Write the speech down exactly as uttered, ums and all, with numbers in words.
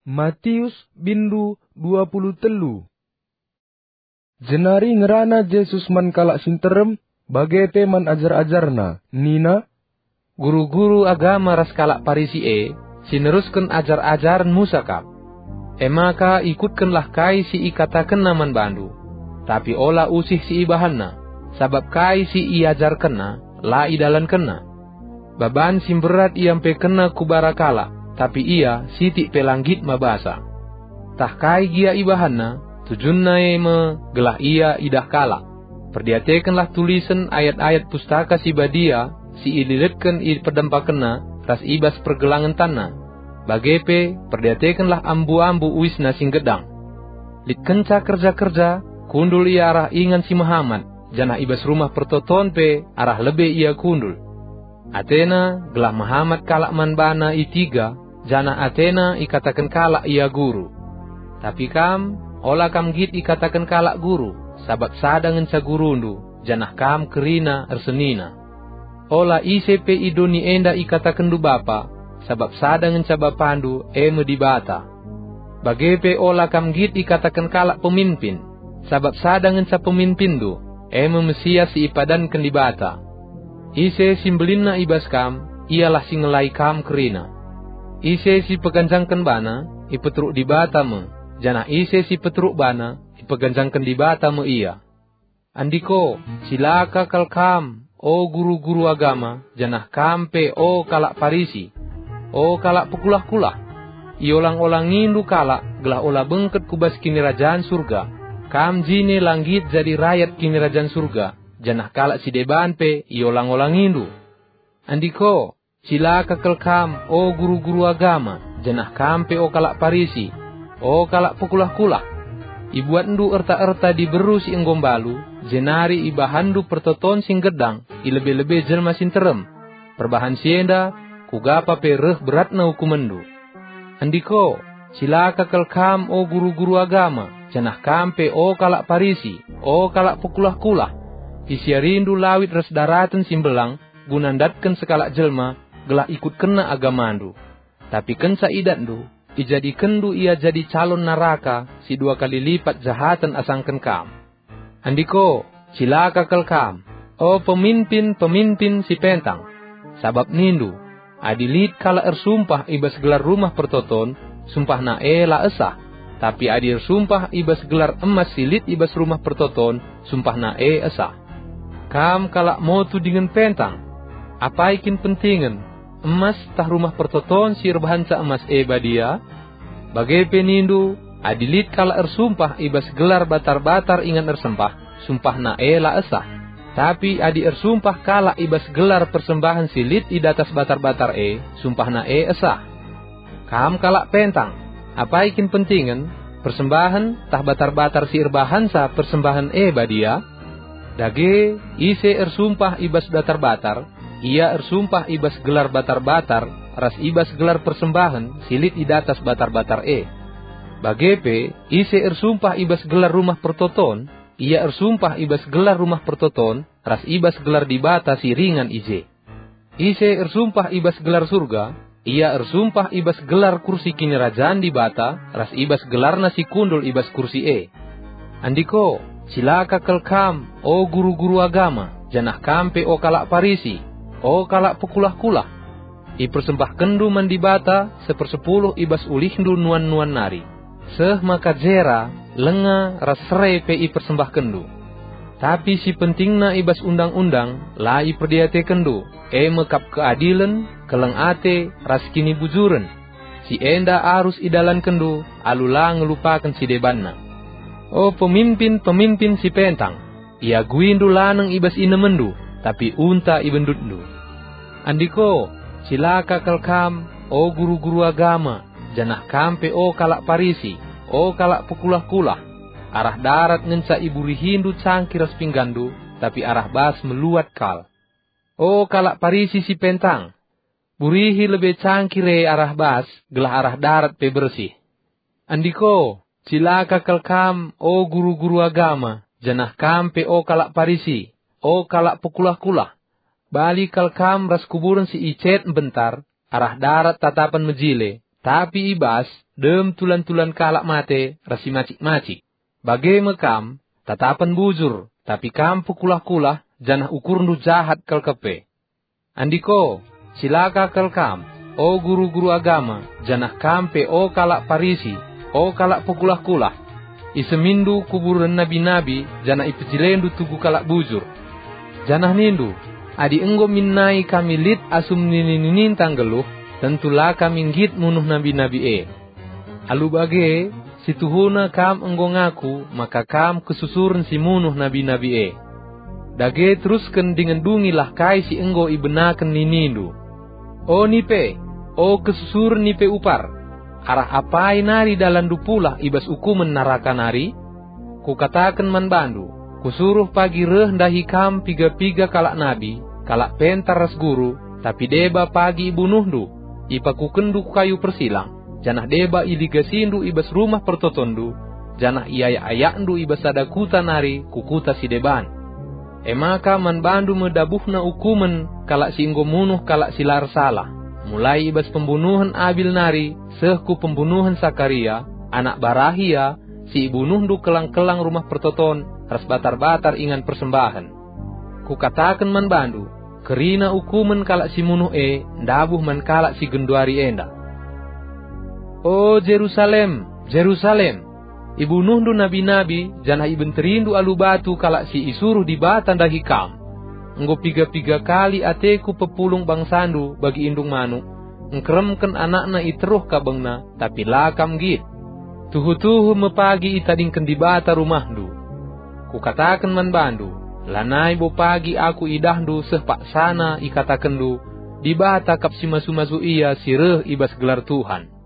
Matius bindu dua puluh telu. Jenari ngerana Jesus man kalak si nterem, bage pe man ajar-ajarNa, nina, "Guru-guru agama ras kalak Parisi e, si nerusken ajar-ajaren Musa kap. E maka ikutkenlah kai si ikatakenna man bandu, tapi ola usih si ibahanna, sabap kai si iajarkenna la idalankenna. Baban si mberat iampekenna ku bara kalak, tapi ia sitik pe la nggit mabasa. Tah kai gia ibahanna, tujunna e me gelah ia idah kalak. Perdiatekenlah tulisen ayat-ayat Pustaka Si Badia si ililetken i pedempakenna ras i bas pergelangen tanna. Bage pe, perdiatekenlah ambu-ambu uisna si nggedang. Lit kenca kerja-kerja, kundul ia arah ingan si mehamat, janah i bas Rumah Pertoton pe arah lebe ia kundul. Atena gelah mehamat kalak man bana i tiga, janah atena ikataken kalak ia guru. Tapi kam, ola kam nggit ikataken kalak guru, sabap sada ngenca gurundu, janah kam kerina ersenina. Ola ise pe i doni enda ikatakenndu bapa, sabap sada ngenca Bapandu, e me Dibata. Bage pe ola kam nggit ikataken kalak peminpin, sabap sada ngenca peminpinndu, e me Mesias si ipadanken Dibata. Ise si mbelinna i bas kam, ialah si ngelai kam kerina. Ise si peganjangken bana, ipeteruk Dibata me, janah ise si peteruk bana, ipeganjangken Dibata me ia. Andiko, cilaka kal kam, o guru-guru agama, janah kam pe, o kalak Parisi, o kalak pekulah-kulah! Iolang-olangindu kalak gelah ola bengket ku bas Kinirajan Surga. Kam jine la nggit jadi rayat Kinirajan Surga, janah kalak si deban pe iolang-olangindu. Andiko, cilaka kal kam, o guru-guru agama, janah kam pe, o kalak Parisi, o kalak pekulah-kulah! Ibuatndu erta-erta diberu si enggo mbalu, jenari ibahanndu pertoton si nggedang i lebe-lebe jelma si nterem. Perbahan si enda, kuga pa pe reh beratna ukumenndu. Andiko, cilaka kal kam, o guru-guru agama, janah kam pe, o kalak Parisi, o kalak pekulah-kulah! Isiarindu lawit ras daraten si mbelang guna ndatken sekalak jelma gelah ikutkenna agamandu. Tapi kenca idatndu, ijadikenndu ia jadi calon naraka si dua kali lipat jahaten asangken kam. Andiko, cilaka kal kam, o peminpin-peminpin si pentang! Sabap nindu, "Adi lit kalak ersumpah i bas gelar Rumah Pertoton, sumpahna e la esah. Tapi adi ersumpah i bas gelar emas si lit i bas Rumah Pertoton, sumpahna e esah." Kam kalak motu dingen pentang! Apai kin pentingen, emas tah Rumah Pertoton si erbahanca emas e badia? Bage pe nindu, "Adi lit kalak ersumpah i bas gelar batar-batar ingan ersempah, sumpahna e la esah. Tapi adi ersumpah kalak i bas gelar persembahen si lit i datas batar-batar e, sumpahna e esah." Kam kalak pentang! Apai kin pentingen, persembahen tah batar-batar si erbahanca persembahen e badia? Dage, ise ersumpah i bas datar-batar, ia ersumpah i bas gelar batar-batar ras i bas gelar persembahen si lit i datas batar-batar e. Bage pe, ise ersumpah i bas gelar Rumah Pertoton, ia ersumpah i bas gelar Rumah Pertoton ras i bas gelar Dibata si ringan i je. Ise ersumpah i bas gelar Surga, ia ersumpah i bas gelar kursi Kinirajan Dibata ras i bas gelarNa si kundul i bas kursi e. Andiko, cilaka kal kam, o guru-guru agama, janah kam pe, o kalak Parisi, o kalak pekulah-kulah! Ipersembahkenndu man Dibata sepersepuluh i bas ulihndu nuan-nuan nari, seh maka jera, lenga, ras sere pe ipersembahkenndu. Tapi si pentingna i bas Undang-undang la iperdiatekenndu, e me kap keadilen, keleng ate, ras kinibujuren. Si enda arus idalankenndu alu la ngelupaken si debanna. O pemimpin-pemimpin si pentang, iaguindu laneng i bas inemenndu, tapi unta i bendutndu. Andiko, cilaka kal kam, o guru-guru agama, janah kam pe, o kalak Parisi, o kalak pekulah-kulah! Arah darat ngenca iburihindu cangkir ras pingganndu, tapi arah bas meluat kal. O kalak Parisi si pentang! Burihi lebe cangkir e arah bas, gelah arah darat pe bersih. Andiko, cilaka kal kam, o guru-guru agama, janah kam pe, o kalak Parisi, o kalak pekulah-kulah! Bali kal kam ras kuburen si icet mbentar, arah darat tatapen mejile, tapi i bas dem tulan-tulan kalak mate ras si macik-macik. Bage me kam, tatapen bujur, tapi kam pekulah-kulah, janah ukurndu jahat kal kepe. Andiko, cilaka kal kam, o guru-guru agama, janah kam pe, o kalak Parisi, o kalak pekulah-kulah! Iseminndu kuburen nabi-nabi, janah ipejilendu tugu kalak bujur. Janah nindu, "Adi enggo min nai kami lit asum nini-nininta nggeluh, tentu la kami nggit munuh nabi-nabi e." Alu bage, situhuna kam enggo ngaku maka kam kesusuren si munuh nabi-nabi e. Dage terusken dingen dungilah kai si enggo ibenaken ninindu. O nipe, o kesusuren nipe upar, arah apai nari dalanndu pulah i bas ukumen naraka nari? Kukataken man bandu, kusuruh pagi reh ndahi kam piga-piga kalak nabi, kalak pentar ras guru, tapi deba pagi ibunuhndu, ipakukenndu ku kayu persilang, janah deba iligasindu i bas rumah pertotonndu, janah iayak-ayakndu i bas sada kuta nari ku kuta si deban. E maka man bandu me dabuhna ukumen kalak si enggo munuh kalak si la ersalah, mulai i bas pembunuhen Abil nari seh ku pembunuhen Sakaria, anak Barahia, si ibunuhndu kelang-kelang rumah pertoton ras batar-batar ingan persembahen. Kukataken man bandu, kerina ukumen kalak si munuh e ndabuh man kalak si genduari enda. O Jerusalem, Jerusalem! Ibunuhndu nabi-nabi, janah ibenterindu alu batu kalak si isuruh Dibata ndahi kam. Enggo piga-piga kali ateku pepulung bangsandu bagi indung manuk, engkeremken anakna i teruh kabengna, tapi la kam nggit. Tuhu-tuhu me pagi itadingken Dibata rumahndu. Kukataken man bandu, lanai bo pagi aku idahndu seh paksana ikatakenndu, "Dibata kap si masu-masu ia si reh i bas gelar Tuhan."